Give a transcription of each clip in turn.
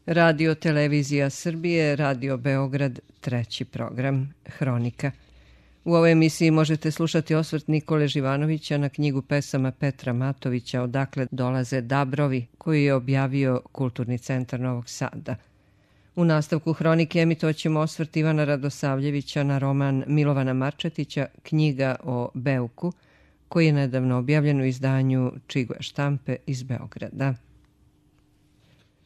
Radio Televizija Srbije, Radio Beograd, treći program, Hronika. U ovoj emisiji možete slušati osvrt Nikole Živanovića na knjigu pesama Petra Matovića Odakle dolaze dabrovi, koju je objavio Kulturni centar Novog Sada. U nastavku Hronike emitovaćemo osvrt Ivana Radosavljevića na roman Milovana Marčetića Knjiga o Beuku, koji je nedavno objavljen u izdanju Čiguje štampe iz Beograda.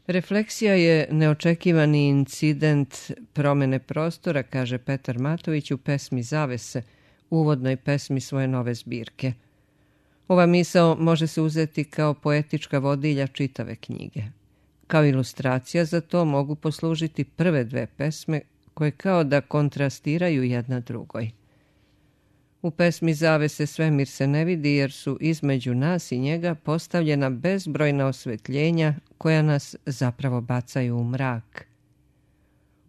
Refleksija je neočekivani incident promene prostora, kaže Petar Matović u pesmi Zavese, uvodnoj pesmi svoje nove zbirke. Ova misao može se uzeti kao poetička vodilja čitave knjige. Kao ilustracija za to mogu poslužiti prve dve pesme koje kao da kontrastiraju jedna drugoj. U pesmi Zavese svemir se ne vidi jer su između nas i njega postavljena bezbrojna osvetljenja koja nas zapravo bacaju u mrak.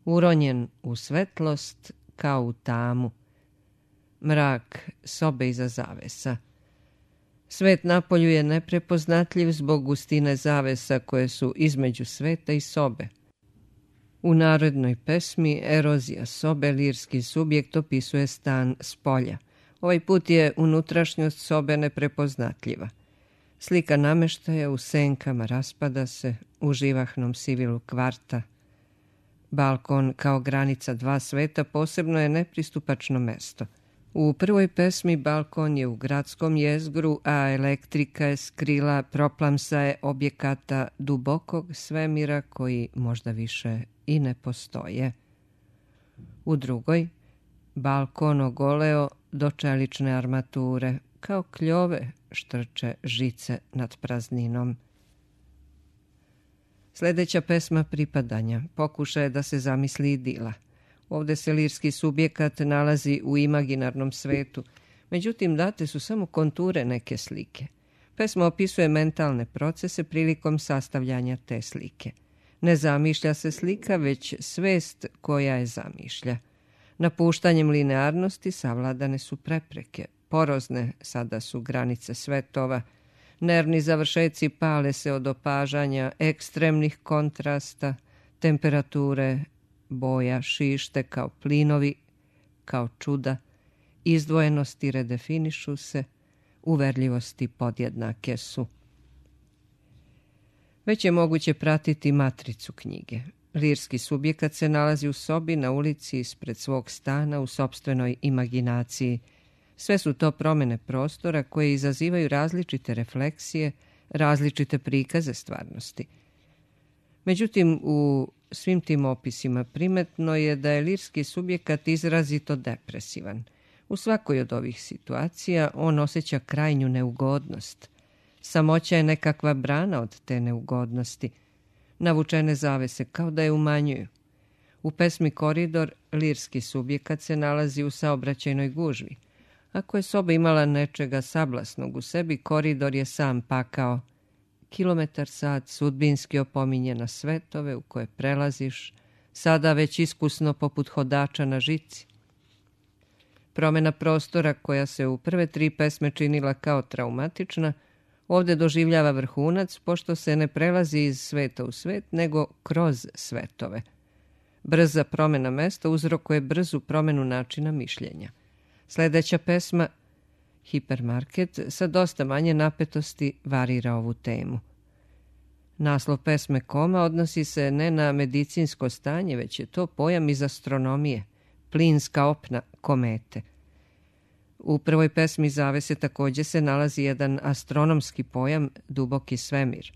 Uronjen u svetlost kao u tamu. Mrak sobe iza zavesa. Svet napolju je neprepoznatljiv zbog gustine zavesa koje su između sveta i sobe. U narodnoj pesmi Erozija sobe lirski subjekt opisuje stan s polja. Ovaj put je unutrašnjost sobe neprepoznatljiva. Slika nameštaja u senkama raspada se u živahnom sivilu kvarta. Balkon kao granica dva sveta posebno je nepristupačno mesto. U prvoj pesmi balkon je u gradskom jezgru, a elektrika je skrila proplamsaje objekata dubokog svemira koji možda više i ne postoje. U drugoj, balkon ogoleo do čelične armature, kao kljove štrče žice nad prazninom. Sljedeća pesma Pripadanja pokušaje da se zamisli idila. Ovdje se lirski subjekat nalazi u imaginarnom svetu, međutim date su samo konture neke slike. Pesma opisuje mentalne procese prilikom sastavljanja te slike. Ne zamišlja se slika, već svest koja je zamišlja. Napuštanjem linearnosti savladane su prepreke. Porozne sada su granice svetova. Nervni završeci pale se od opažanja ekstremnih kontrasta, temperature, boja šište kao plinovi, kao čuda, izdvojenosti redefinišu se, uverljivosti podjednake su. Već je moguće pratiti matricu knjige. Lirski subjekat se nalazi u sobi na ulici ispred svog stana u sopstvenoj imaginaciji. Sve su to promjene prostora koje izazivaju različite refleksije, različite prikaze stvarnosti. Međutim, u svim tim opisima primetno je da je lirski subjekat izrazito depresivan. U svakoj od ovih situacija on osjeća krajnju neugodnost. Samoća je nekakva brana od te neugodnosti. Navučene zavese kao da je umanjuju. U pesmi Koridor lirski subjekat se nalazi u saobraćajnoj gužvi. Ako je soba imala nečega sablasnog u sebi, koridor je sam pakao. Kilometar sat sudbinski opominje na svetove u koje prelaziš, sada već iskusno poput hodača na žici. Promjena prostora koja se u prve tri pesme činila kao traumatična, ovdje doživljava vrhunac, pošto se ne prelazi iz sveta u svet, nego kroz svetove. Brza promjena mesta uzrokuje brzu promjenu načina mišljenja. Sljedeća pesma, Hipermarket, sa dosta manje napetosti varira ovu temu. Naslov pesme Koma odnosi se ne na medicinsko stanje, već je to pojam iz astronomije, plinska opna komete. U prvoj pesmi Zavese također se nalazi jedan astronomski pojam duboki svemir.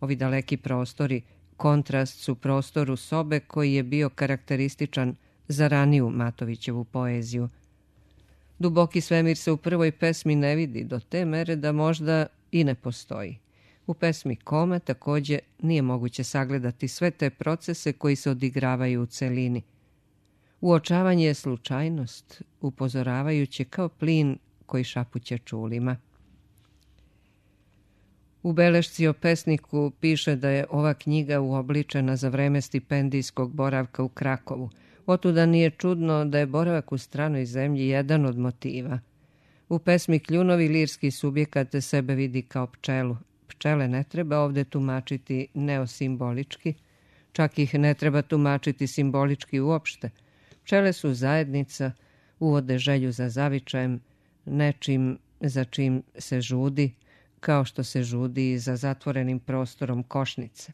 Ovi daleki prostori kontrast su prostoru sobe koji je bio karakterističan za raniju Matovićevu poeziju. Duboki svemir se u prvoj pesmi ne vidi do te mere da možda i ne postoji. U pesmi Koma također nije moguće sagledati sve te procese koji se odigravaju u celini. Uočavanje je slučajnost, upozoravajući kao plin koji šapuće čulima. U belešci o pesniku piše da je ova knjiga uobličena za vreme stipendijskog boravka u Krakovu. Otuda nije čudno da je boravak u stranoj zemlji jedan od motiva. U pesmi Kljunovi lirski subjekat sebe vidi kao pčelu. Pčele ne treba ovdje tumačiti neosimbolički. Čak ih ne treba tumačiti simbolički uopšte. Pčele su zajednica, uvode želju za zavičajem, nečim za čim se žudi, kao što se žudi i za zatvorenim prostorom košnice.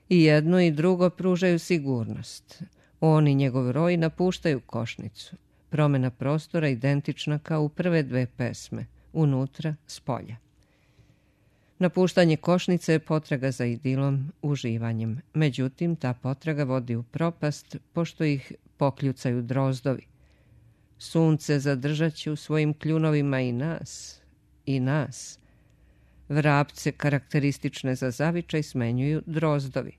I jedno i drugo pružaju sigurnost. On i njegov roj napuštaju košnicu. Promjena prostora identična kao u prve dve pesme, unutra, spolja. Napuštanje košnice je potraga za idilom, uživanjem. Međutim, ta potraga vodi u propast, pošto ih pokljucaju drozdovi. Sunce zadržat će u svojim kljunovima i nas. Vrapce karakteristične za zavičaj smenjuju drozdovi.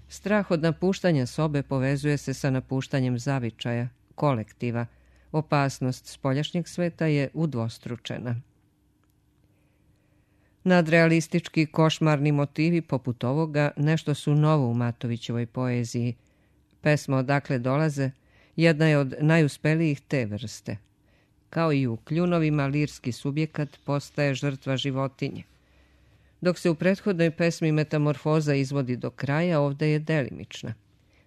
Strah od napuštanja sobe povezuje se sa napuštanjem zavičaja, kolektiva. Opasnost spoljašnjeg sveta je udvostručena. Nadrealistički košmarni motivi poput ovoga nešto su novo u Matovićevoj poeziji. Pesma Odakle dolaze jedna je od najuspelijih te vrste. Kao i u kljunovima, lirski subjekat postaje žrtva životinje. Dok se u prethodnoj pesmi metamorfoza izvodi do kraja, ovdje je delimična.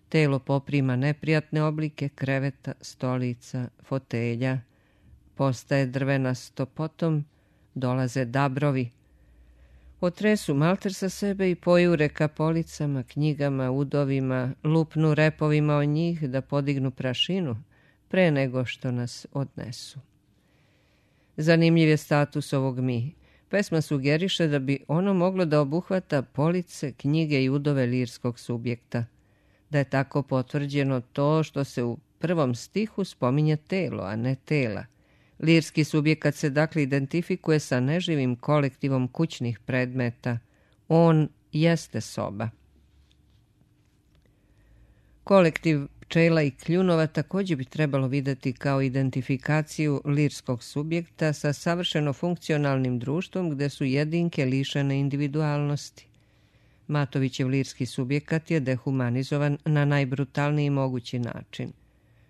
Telo poprima neprijatne oblike kreveta, stolica, fotelja, postaje drvenasto, potom dolaze dabrovi. Otresu malter sa sebe i pojure ka policama, knjigama, udovima, lupnu repovima o njih da podignu prašinu pre nego što nas odnesu. Zanimljiv je status ovog mi. Pesma sugeriše da bi ono moglo da obuhvata police, knjige i udove lirskog subjekta. Da je tako potvrđeno to što se u prvom stihu spominje telo, a ne tela. Lirski subjekat se dakle identifikuje sa neživim kolektivom kućnih predmeta. On jeste soba. Kolektiv pčela i kljunova također bi trebalo vidjeti kao identifikaciju lirskog subjekta sa savršeno funkcionalnim društvom gdje su jedinke lišene individualnosti. Matovićev lirski subjekat je dehumanizovan na najbrutalniji mogući način.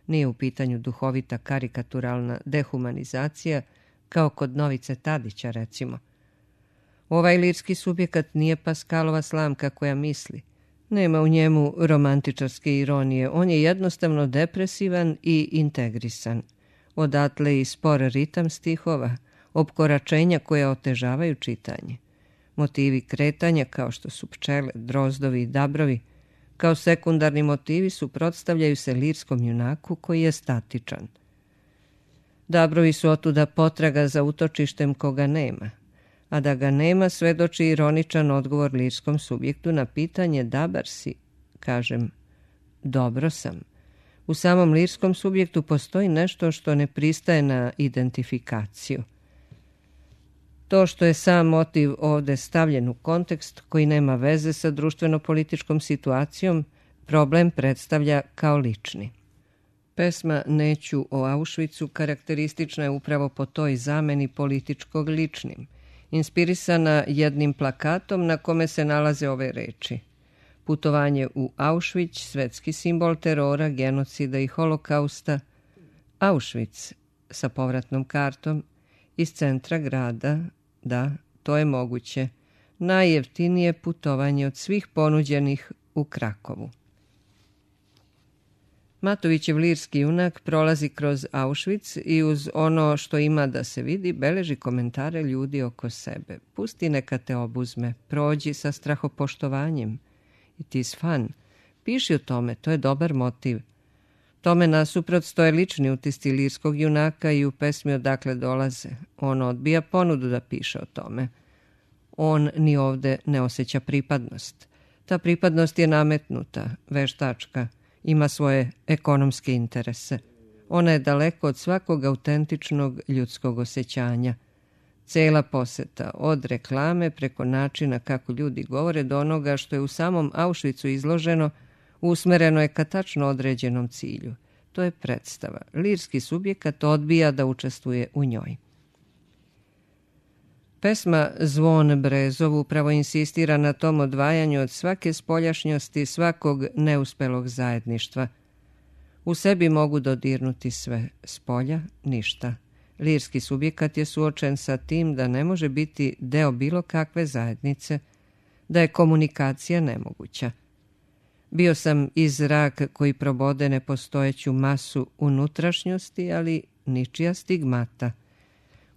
Nije u pitanju duhovita karikaturalna dehumanizacija, kao kod Novice Tadića, recimo. Ovaj lirski subjekat nije Paskalova slamka koja misli. Nema u njemu romantičarske ironije, on je jednostavno depresivan i integrisan. Odatle i spor ritam stihova, opkoračenja koja otežavaju čitanje. Motivi kretanja, kao što su pčele, drozdovi i dabrovi, kao sekundarni motivi suprotstavljaju se lirskom junaku koji je statičan. Dabrovi su otuda potraga za utočištem koga nema, a da ga nema svedoči ironičan odgovor lirskom subjektu na pitanje dabar si, kažem, dobro sam. U samom lirskom subjektu postoji nešto što ne pristaje na identifikaciju. To što je sam motiv ovdje stavljen u kontekst koji nema veze sa društveno-političkom situacijom, problem predstavlja kao lični. Pesma Neću o Auschwitzu karakteristična je upravo po toj zameni političkog ličnim, inspirisana jednim plakatom na kome se nalaze ove reči. Putovanje u Auschwitz, svetski simbol terora, genocida i holokausta. Auschwitz sa povratnom kartom iz centra grada. Da, to je moguće. Najjeftinije putovanje od svih ponuđenih u Krakovu. Matovićev lirski junak prolazi kroz Auschwitz i uz ono što ima da se vidi beleži komentare ljudi oko sebe. Pusti neka te obuzme, prođi sa strahopoštovanjem. It is fun. Piši o tome, to je dobar motiv. Tome nasuprot stoje lični utisci lirskog junaka i u pesmi Odakle dolaze. On odbija ponudu da piše o tome. On ni ovde ne osjeća pripadnost. Ta pripadnost je nametnuta, veštačka, ima svoje ekonomske interese. Ona je daleko od svakog autentičnog ljudskog osjećanja. Cela poseta, od reklame preko načina kako ljudi govore do onoga što je u samom Auschwitzu izloženo, usmereno je ka tačno određenom cilju. To je predstava. Lirski subjekat odbija da učestvuje u njoj. Pesma Zvon Brezov upravo insistira na tom odvajanju od svake spoljašnjosti, svakog neuspelog zajedništva. U sebi mogu dodirnuti sve, spolja ništa. Lirski subjekat je suočen sa tim da ne može biti deo bilo kakve zajednice, da je komunikacija nemoguća. Bio sam i zrak koji probode nepostojeću masu unutrašnjosti, ali ničija stigmata.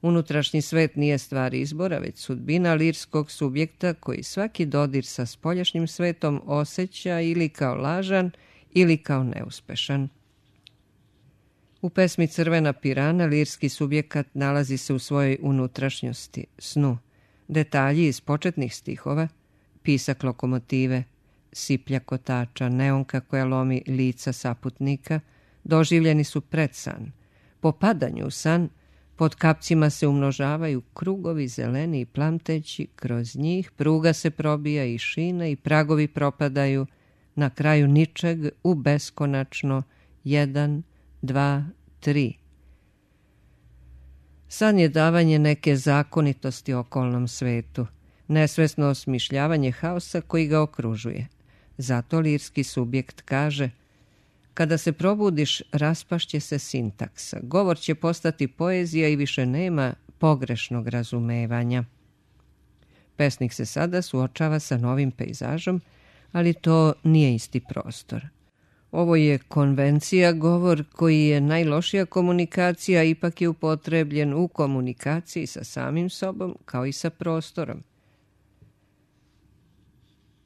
Unutrašnji svet nije stvar izbora, već sudbina lirskog subjekta koji svaki dodir sa spoljašnjim svetom osjeća ili kao lažan ili kao neuspešan. U pesmi Crvena pirana lirski subjekat nalazi se u svojoj unutrašnjosti, snu. Detalji iz početnih stihova, pisak lokomotive, siplja kotača, neonka koja lomi lica saputnika, doživljeni su pred san. Po padanju u san, pod kapcima se umnožavaju krugovi zeleni i plamteći, kroz njih pruga se probija i šina i pragovi propadaju, na kraju ničeg u beskonačno 1, 2, 3. San je davanje neke zakonitosti okolnom svetu, nesvesno osmišljavanje haosa koji ga okružuje. Zato lirski subjekt kaže: kada se probudiš, raspašće se sintaksa, govor će postati poezija i više nema pogrešnog razumevanja. Pesnik se sada suočava sa novim pejzažom, ali to nije isti prostor. Ovo je konvencija, govor koji je najlošija komunikacija, ipak je upotrebljen u komunikaciji sa samim sobom kao i sa prostorom.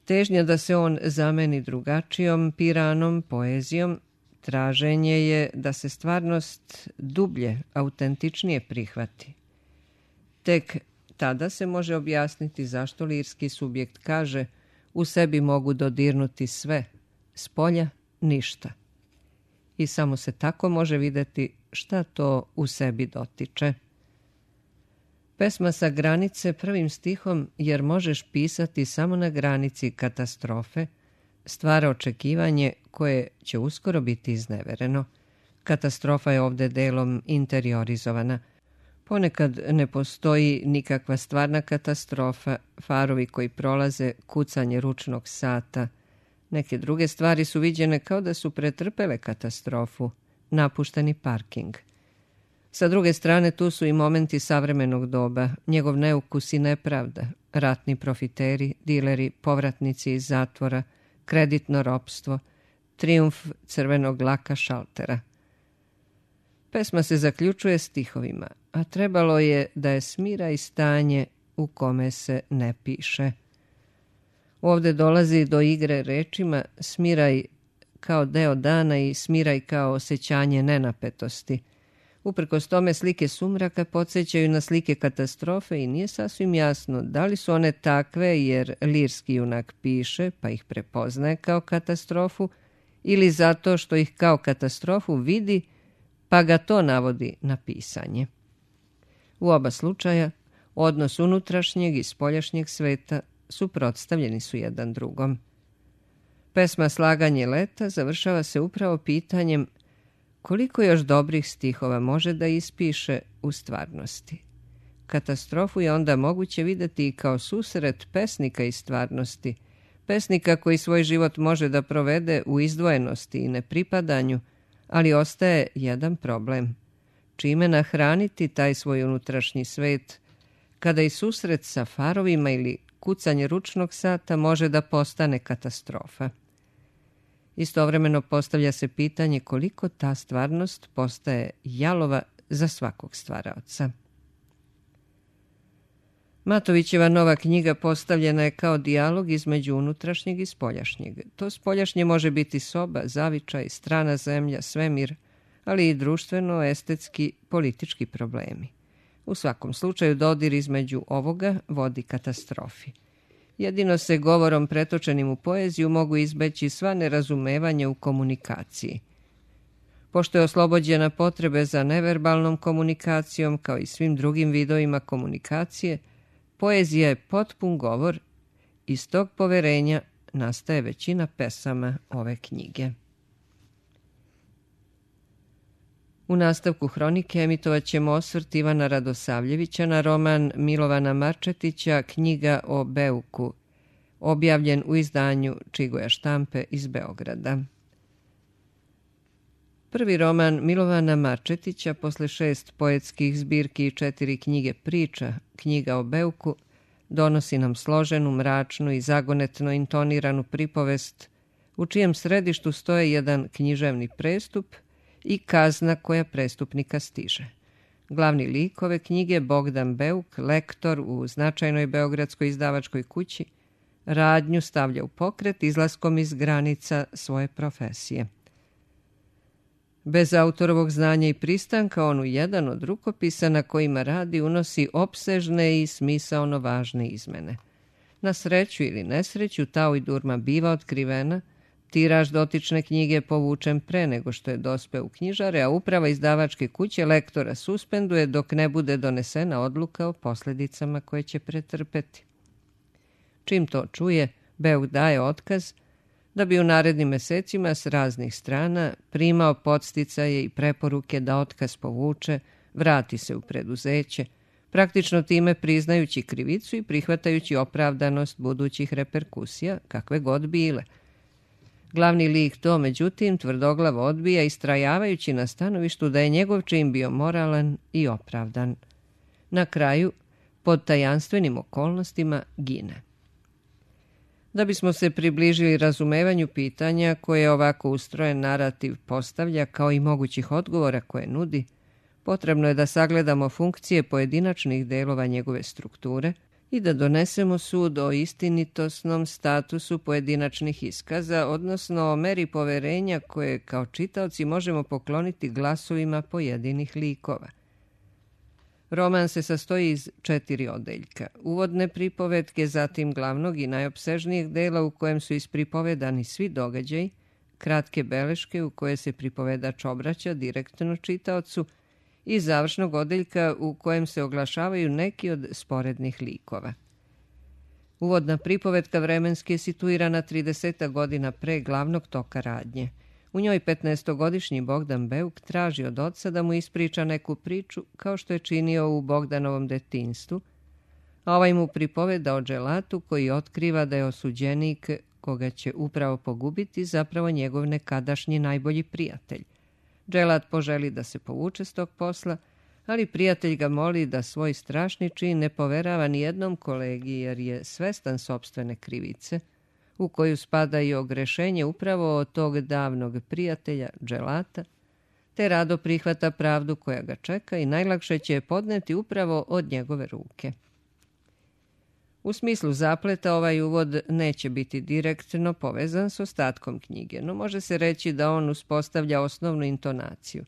Težnja da se on zameni drugačijom piranom, poezijom, traženje je da se stvarnost dublje, autentičnije prihvati. Tek tada se može objasniti zašto lirski subjekt kaže: u sebi mogu dodirnuti sve, spolja ništa. I samo se tako može vidjeti šta to u sebi dotiče. Pesma sa granice prvim stihom, jer možeš pisati samo na granici katastrofe, stvara očekivanje koje će uskoro biti iznevereno. Katastrofa je ovdje delom interiorizovana. Ponekad ne postoji nikakva stvarna katastrofa, farovi koji prolaze, kucanje ručnog sata. Neke druge stvari su viđene kao da su pretrpele katastrofu, napušteni parking. Sa druge strane tu su i momenti savremenog doba, njegov neukus i nepravda, ratni profiteri, dileri, povratnici iz zatvora, kreditno ropstvo, trijumf crvenog laka šaltera. Pesma se zaključuje stihovima, a trebalo je da je smira i stanje u kome se ne piše. Ovdje dolazi do igre rečima smiraj kao deo dana i smiraj kao osjećanje nenapetosti. Uprkos tome slike sumraka podsjećaju na slike katastrofe i nije sasvim jasno da li su one takve jer lirski junak piše pa ih prepoznaje kao katastrofu ili zato što ih kao katastrofu vidi pa ga to navodi na pisanje. U oba slučaja odnos unutrašnjeg i spoljašnjeg sveta suprotstavljeni su jedan drugom. Pesma Slaganje leta završava se upravo pitanjem koliko još dobrih stihova može da ispiše u stvarnosti. Katastrofu je onda moguće vidjeti i kao susret pesnika i stvarnosti, pesnika koji svoj život može da provede u izdvojenosti i nepripadanju, ali ostaje jedan problem. Čime nahraniti taj svoj unutrašnji svet, kada i susret sa farovima ili kucanje ručnog sata može da postane katastrofa. Istovremeno postavlja se pitanje koliko ta stvarnost postaje jalova za svakog stvaraoca. Matovićeva nova knjiga postavljena je kao dijalog između unutrašnjeg i spoljašnjeg. To spoljašnje može biti soba, zavičaj, strana zemlja, svemir, ali i društveno, estetski, politički problemi. U svakom slučaju dodir između ovoga vodi katastrofi. Jedino se govorom pretočenim u poeziju mogu izbeći sva nerazumevanja u komunikaciji. Pošto je oslobođena potrebe za neverbalnom komunikacijom kao i svim drugim vidovima komunikacije, poezija je potpun govor. Iz tog poverenja nastaje većina pesama ove knjige. U nastavku hronike emitovat ćemo osvrt Ivana Radosavljevića na roman Milovana Marčetića Knjiga o Beuku, objavljen u izdanju Čigoja štampe iz Beograda. Prvi roman Milovana Marčetića posle 6 poetskih zbirki i 4 knjige priča, Knjiga o Beuku, donosi nam složenu, mračnu i zagonetno intoniranu pripovest u čijem središtu stoje jedan književni prestup i kazna koja prestupnika stiže. Glavni lik ove knjige, Bogdan Beuk, lektor u značajnoj beogradskoj izdavačkoj kući, radnju stavlja u pokret izlaskom iz granica svoje profesije. Bez autorovog znanja i pristanka on u jedan od rukopisa na kojima radi unosi opsežne i smisaono važne izmene. Na sreću ili nesreću ta ujdurma biva otkrivena, tiraž dotične knjige je povučen pre nego što je dospeo u knjižare, a uprava izdavačke kuće lektora suspenduje dok ne bude donesena odluka o posljedicama koje će pretrpeti. Čim to čuje, Beuk daje otkaz da bi u narednim mesecima s raznih strana primao podsticaje i preporuke da otkaz povuče, vrati se u preduzeće, praktično time priznajući krivicu i prihvatajući opravdanost budućih reperkusija, kakve god bile. Glavni lik to, međutim, tvrdoglavo odbija, istrajavajući na stanovištu da je njegov čin bio moralan i opravdan. Na kraju, pod tajanstvenim okolnostima, gine. Da bismo se približili razumevanju pitanja koje ovako ustrojen narativ postavlja kao i mogućih odgovora koje nudi, potrebno je da sagledamo funkcije pojedinačnih delova njegove strukture i da donesemo sud o istinitosnom statusu pojedinačnih iskaza, odnosno o meri poverenja koje kao čitaoci možemo pokloniti glasovima pojedinih likova. Roman se sastoji iz 4 odeljka. Uvodne pripovetke, zatim glavnog i najopsežnijeg dela u kojem su ispripovedani svi događaji, kratke beleške u koje se pripovedač obraća direktno čitaocu i završnog odeljka u kojem se oglašavaju neki od sporednih likova. Uvodna pripovetka vremenski je situirana 30 godina pre glavnog toka radnje. U njoj 15-godišnji Bogdan Beuk traži od oca da mu ispriča neku priču kao što je činio u Bogdanovom detinjstvu, a ovaj mu pripoveda o dželatu koji otkriva da je osuđenik koga će upravo pogubiti zapravo njegov nekadašnji najbolji prijatelj. Dželat poželi da se povuče s tog posla, ali prijatelj ga moli da svoj strašni čin ne poverava ni jednom kolegi jer je svestan sopstvene krivice, u koju spada i ogrešenje upravo od tog davnog prijatelja dželata, te rado prihvata pravdu koja ga čeka i najlakše će je podneti upravo od njegove ruke. U smislu zapleta ovaj uvod neće biti direktno povezan s ostatkom knjige, no može se reći da on uspostavlja osnovnu intonaciju.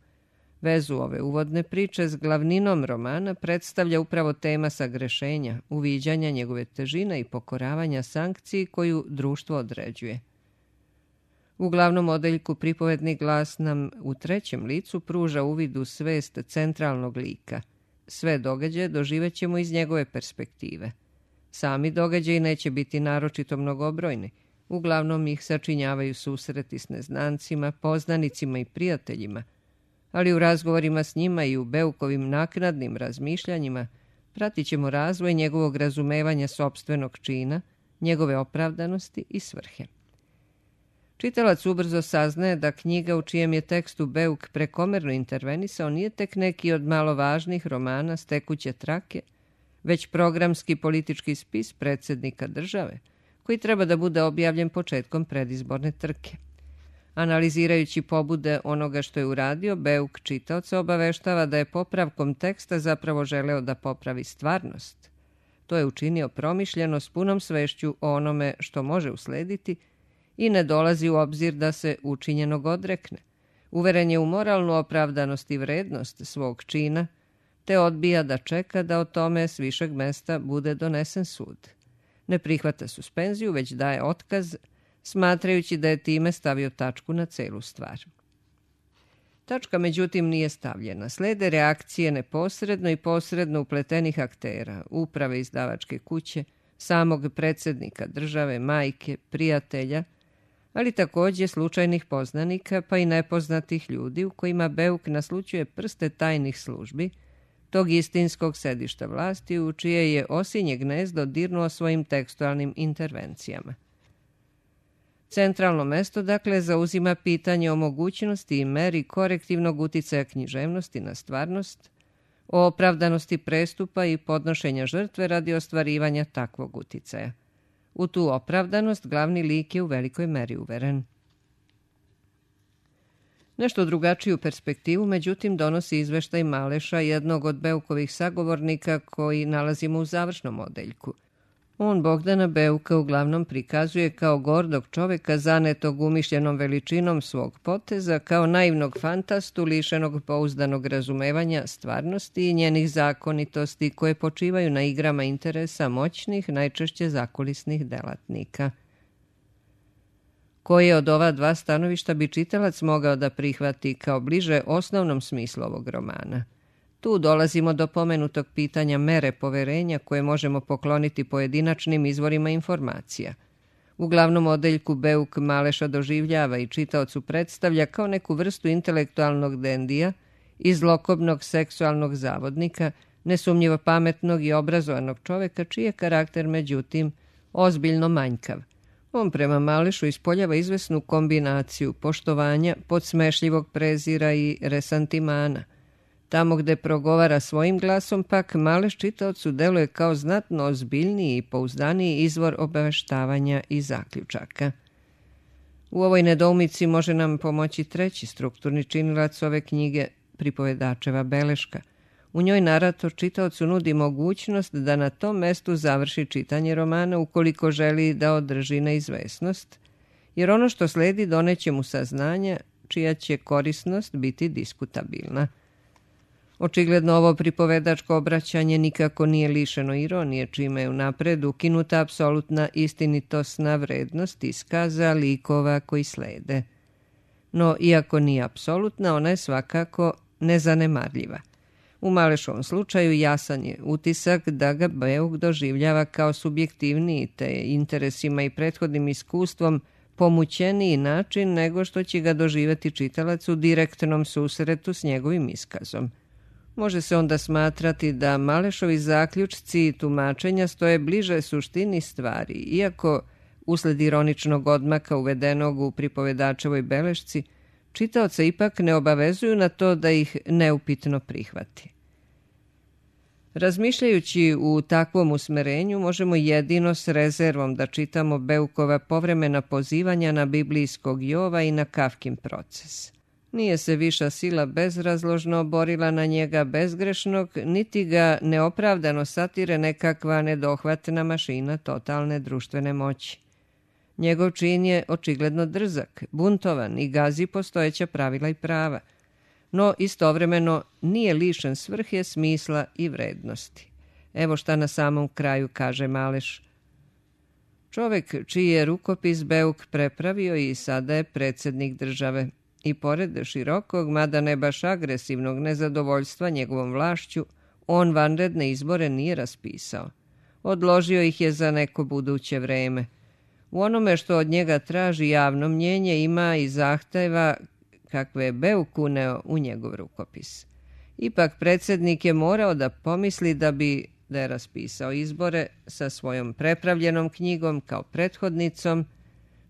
Vezu ove uvodne priče s glavninom romana predstavlja upravo tema sagrešenja, uviđanja njegove težine i pokoravanja sankciji koju društvo određuje. U glavnom odeljku pripovedni glas nam u 3. licu pruža uvid u svest centralnog lika. Sve događaje doživećemo iz njegove perspektive. Sami događaji neće biti naročito mnogobrojni. Uglavnom ih sačinjavaju susreti s neznancima, poznanicima i prijateljima, ali u razgovorima s njima i u Beukovim naknadnim razmišljanjima pratit ćemo razvoj njegovog razumevanja sopstvenog čina, njegove opravdanosti i svrhe. Čitalac ubrzo saznaje da knjiga u čijem je tekstu Beuk prekomerno intervenisao nije tek neki od malo važnih romana s tekuće trake, već programski politički spis predsjednika države, koji treba da bude objavljen početkom predizborne trke. Analizirajući pobude onoga što je uradio, Beuk čitaoca obaveštava da je popravkom teksta zapravo želeo da popravi stvarnost. To je učinio promišljeno s punom svešću o onome što može uslediti i ne dolazi u obzir da se učinjenog odrekne. Uveren je u moralnu opravdanost i vrednost svog čina, te odbija da čeka da o tome s višeg mesta bude donesen sud. Ne prihvata suspenziju, već daje otkaz, smatrajući da je time stavio tačku na celu stvar. Tačka, međutim, nije stavljena. Slede reakcije neposredno i posredno upletenih aktera, uprave izdavačke kuće, samog predsjednika države, majke, prijatelja, ali također slučajnih poznanika pa i nepoznatih ljudi u kojima Beuk naslućuje prste tajnih službi, tog istinskog sedišta vlasti u čije je osinje gnezdo dirnuo svojim tekstualnim intervencijama. Centralno mesto, dakle, zauzima pitanje o mogućnosti i meri korektivnog uticaja književnosti na stvarnost, o opravdanosti prestupa i podnošenja žrtve radi ostvarivanja takvog uticaja. U tu opravdanost glavni lik je u velikoj meri uveren. Nešto drugačiju perspektivu, međutim, donosi izveštaj Maleša, jednog od Beukovih sagovornika koji nalazimo u završnom odeljku. On Bogdana Beuka uglavnom prikazuje kao gordog čoveka zanetog umišljenom veličinom svog poteza, kao naivnog fantastu lišenog pouzdanog razumevanja stvarnosti i njenih zakonitosti koje počivaju na igrama interesa moćnih, najčešće zakulisnih delatnika. Koje od ova dva stanovišta bi čitalac mogao da prihvati kao bliže osnovnom smislu ovog romana? Tu dolazimo do pomenutog pitanja mere poverenja koje možemo pokloniti pojedinačnim izvorima informacija. U glavnom odeljku Beuk Maleša doživljava i čitaocu predstavlja kao neku vrstu intelektualnog dendija i zlokobnog seksualnog zavodnika, nesumnjivo pametnog i obrazovanog čoveka čiji je karakter, međutim, ozbiljno manjkav. On prema Malešu ispoljava izvesnu kombinaciju poštovanja, podsmešljivog prezira i resantimana. Tamo gde progovara svojim glasom, pak Maleš čitaocu deluje kao znatno ozbiljniji i pouzdaniji izvor obaveštavanja i zaključaka. U ovoj nedoumici može nam pomoći treći strukturni činilac ove knjige, pripovedačeva beleška. U njoj narator čitaocu nudi mogućnost da na tom mestu završi čitanje romana ukoliko želi da održi neizvesnost, jer ono što sledi doneće mu saznanja čija će korisnost biti diskutabilna. Očigledno ovo pripovedačko obraćanje nikako nije lišeno ironije, čime je unapred ukinuta apsolutna istinitosna vrednost iskaza likova koji slede. No, iako nije apsolutna, ona je svakako nezanemarljiva. U Malešovom slučaju jasan je utisak da ga Beuk doživljava kao subjektivniji te interesima i prethodnim iskustvom pomućeniji način nego što će ga doživjeti čitalac u direktnom susretu s njegovim iskazom. Može se onda smatrati da Malešovi zaključci i tumačenja stoje bliže suštini stvari, iako usled ironičnog odmaka uvedenog u pripovedačevoj belešci, čitaoca ipak ne obavezuju na to da ih neupitno prihvati. Razmišljajući u takvom usmerenju, možemo jedino s rezervom da čitamo Beukova povremena pozivanja na biblijskog Jova i na Kafkin proces. Nije se viša sila bezrazložno borila na njega bezgrešnog, niti ga neopravdano satire nekakva nedohvatna mašina totalne društvene moći. Njegov čin je očigledno drzak, buntovan i gazi postojeća pravila i prava, no istovremeno nije lišen svrhe, smisla i vrednosti. Evo šta na samom kraju kaže Maleš. Čovek čiji je rukopis Beuk prepravio i sada je predsjednik države. I pored širokog, mada ne baš agresivnog nezadovoljstva njegovom vlašću, on vanredne izbore nije raspisao. Odložio ih je za neko buduće vreme. U onome što od njega traži javno mnjenje ima i zahteva kakve je Beuk uneo u njegov rukopis. Ipak predsjednik je morao da pomisli da je raspisao izbore sa svojom prepravljenom knjigom kao prethodnicom,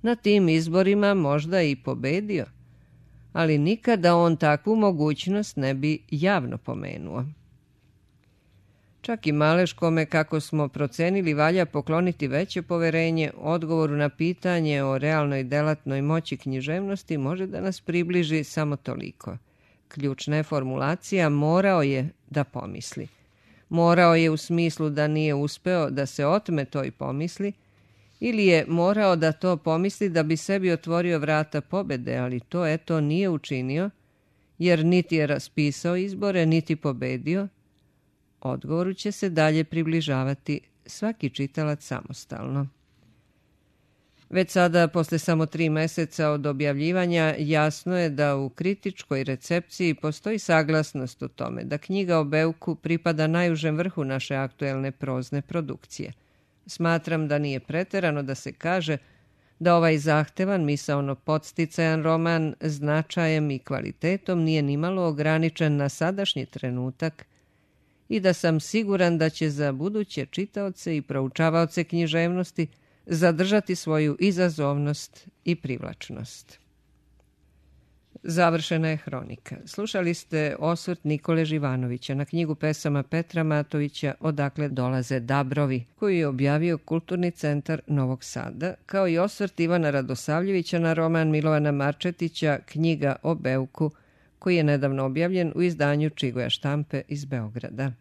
na tim izborima možda i pobedio, ali nikada on takvu mogućnost ne bi javno pomenuo. Čak i Maleš, kome, kako smo procenili, valja pokloniti veće poverenje, odgovoru na pitanje o realnoj delatnoj moći književnosti može da nas približi samo toliko. Ključna je formulacija morao je da pomisli. Morao je u smislu da nije uspeo da se otme toj pomisli, ili je morao da to pomisli da bi sebi otvorio vrata pobede, ali to eto nije učinio, jer niti je raspisao izbore, niti pobedio. Odgovoru će se dalje približavati svaki čitalac samostalno. Već sada, posle samo 3 meseca od objavljivanja, jasno je da u kritičkoj recepciji postoji saglasnost u tome da knjiga o Beuku pripada najužem vrhu naše aktuelne prozne produkcije. Smatram da nije preterano da se kaže da ovaj zahtevan, misaono podsticajan roman značajem i kvalitetom nije nimalo ograničen na sadašnji trenutak i da sam siguran da će za buduće čitaoce i proučavaoce književnosti zadržati svoju izazovnost i privlačnost. Završena je hronika. Slušali ste osvrt Nikole Živanovića na knjigu pesama Petra Matovića Odakle dolaze dabrovi, koju je objavio Kulturni centar Novog Sada, kao i osvrt Ivana Radosavljevića na roman Milovana Marčetića Knjiga o Beuku, koji je nedavno objavljen u izdanju Čigoja štampe iz Beograda.